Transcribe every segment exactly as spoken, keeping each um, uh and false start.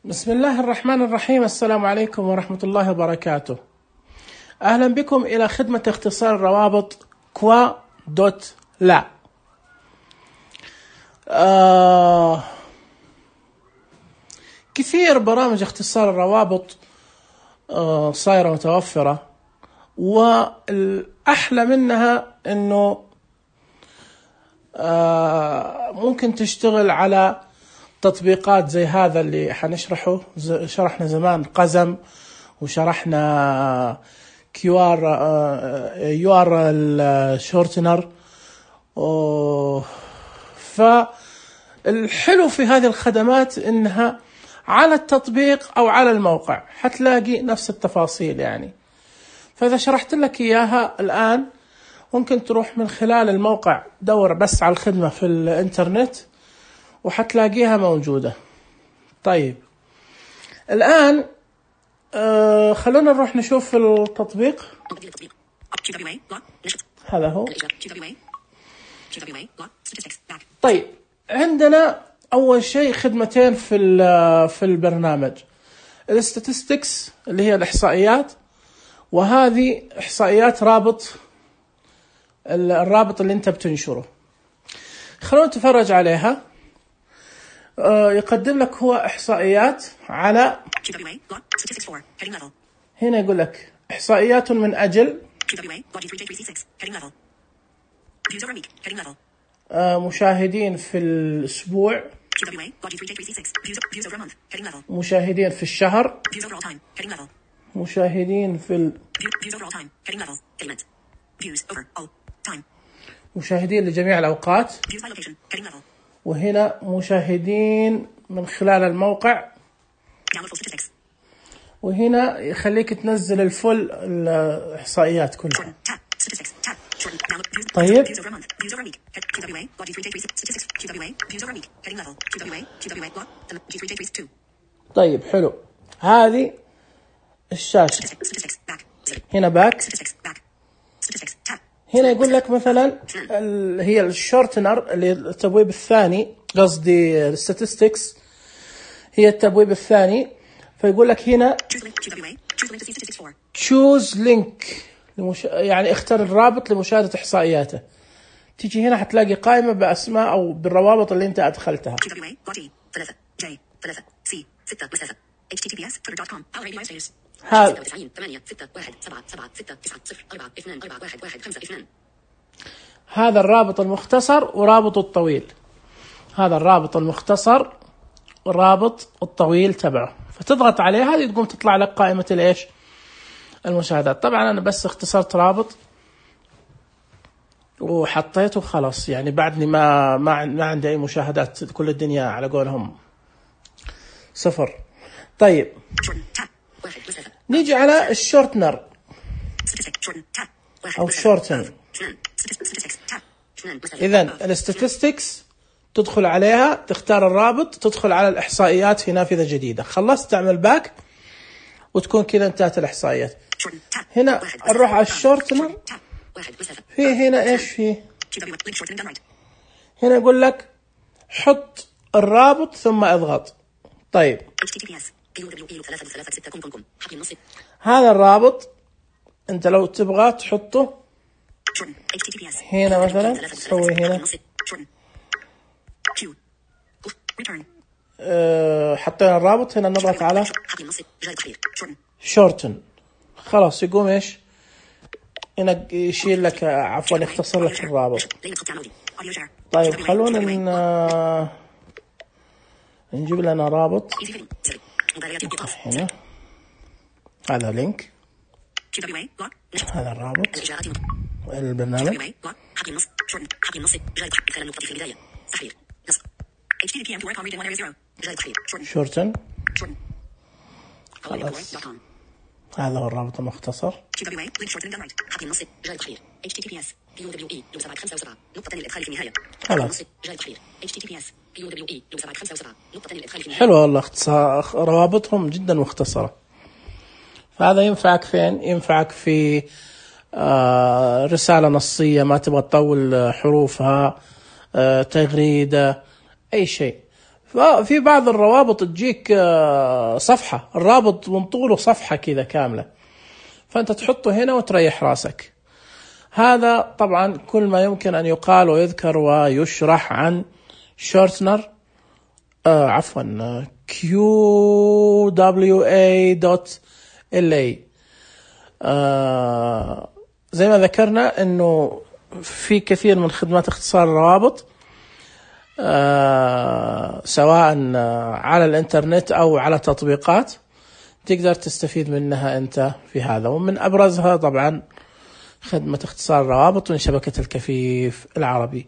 بسم الله الرحمن الرحيم. السلام عليكم ورحمة الله وبركاته. أهلا بكم إلى خدمة اختصار الروابط كوا دوت لا. آه كثير برامج اختصار الروابط آه صايرة متوفرة، والأحلى منها أنه آه ممكن تشتغل على تطبيقات زي هذا اللي حنشرحه. شرحنا زمان قزم، وشرحنا كيوار يو ار الشورتنر. فالحلو في هذه الخدمات انها على التطبيق او على الموقع حتلاقي نفس التفاصيل يعني. فاذا شرحت لك اياها الان ممكن تروح من خلال الموقع، دور بس على الخدمة في الانترنت وحتلاقيها موجودة. طيب الآن آه خلونا نروح نشوف التطبيق. هذا هو. طيب عندنا أول شيء خدمتين في في البرنامج، الاستاتستكس اللي هي الإحصائيات، وهذه إحصائيات رابط الرابط اللي أنت بتنشره. خلونا نتفرج عليها. يقدم لك هو إحصائيات على، هنا يقول لك إحصائيات من أجل مشاهدين في الأسبوع، مشاهدين في الشهر، مشاهدين في ال... مشاهدين لجميع الأوقات، وهنا مشاهدين من خلال الموقع، وهنا يخليك تنزل الفل الإحصائيات كلها. طيب طيب حلو. هذه الشاشة، هنا باك، هنا يقول لك مثلا هي الشورتنر اللي التبويب الثاني، قصدي الستاتستكس هي التبويب الثاني. فيقول لك هنا choose link لمش... يعني اختر الرابط لمشاهدة إحصائياته. تيجي هنا حتلاقي قائمة بأسماء أو بالروابط اللي أنت أدخلتها. هذا هذا الرابط المختصر ورابط الطويل. هذا الرابط المختصر والرابط الطويل تبعه، فتضغط عليه هذه تقوم تطلع لك قائمة الإيش المشاهدات. طبعا أنا بس اختصرت رابط وحطيته خلاص، يعني بعدني ما ما ما عندي أي مشاهدات، كل الدنيا على قولهم صفر. طيب نيجي على الشورتنر أو الشورتن. إذن الاستاتستكس تدخل عليها، تختار الرابط، تدخل على الإحصائيات في نافذة جديدة. خلصت تعمل باك وتكون كذا انتهت الإحصائيات. هنا نروح على الشورتنر. في هنا إيش فيه؟ هنا يقول لك حط الرابط ثم اضغط. طيب هذا الرابط انت لو تبغى تحطه هنا مثلا، تسوي هنا أه حطينا الرابط، هنا نضغط على شورتن، خلاص يقوم ايش هنا يشيل لك، عفوا يختصر لك الرابط. طيب خلونا ن... نجيب لنا رابط هنا. هذا لينك، هذا الرابط البرنامج شورتن. خلاص هذا هو الرابط المختصر. خلاص حلو والله، اختصار روابطهم جدا مختصرة. فهذا ينفعك فين؟ ينفعك في آه رسالة نصية ما تبغى تطول حروفها، آه تغريدة، أي شيء. في بعض الروابط تجيك صفحة، الرابط من طوله صفحة كذا كاملة، فأنت تحطه هنا وتريح راسك. هذا طبعا كل ما يمكن أن يقال ويذكر ويشرح عن شورتنر آه عفوا كيو دبليو إيه دوت إل إيه. آه زي ما ذكرنا أنه في كثير من خدمات اختصار الروابط آه سواء على الانترنت أو على تطبيقات تقدر تستفيد منها أنت في هذا، ومن أبرزها طبعا خدمة اختصار الروابط من شبكة الكفيف العربي.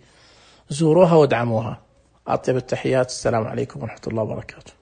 زوروها وادعموها. أطيب التحيات، السلام عليكم ورحمة الله وبركاته.